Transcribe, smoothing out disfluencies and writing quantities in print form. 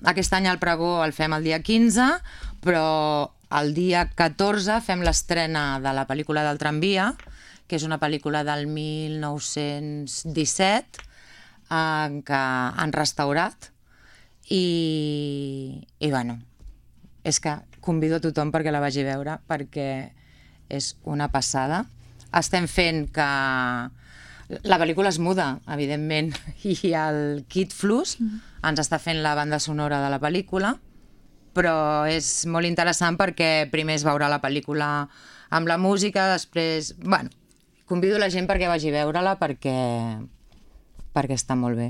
Aquest any el pregó el fem el dia 15, però el dia 14 fem l'estrena de la pel·lícula del tramvia, que és una pel·lícula del 1917 que han restaurat i bueno, és que convido a tothom perquè la vagi a veure perquè és una passada. Estem fent que... La pel·lícula és muda, evidentment, i el Kid Flus ens està fent la banda sonora de la pel·lícula, però és molt interessant perquè primer es veurà la pel·lícula amb la música, després... Bueno, convido la gent perquè vagi a veure-la perquè està molt bé.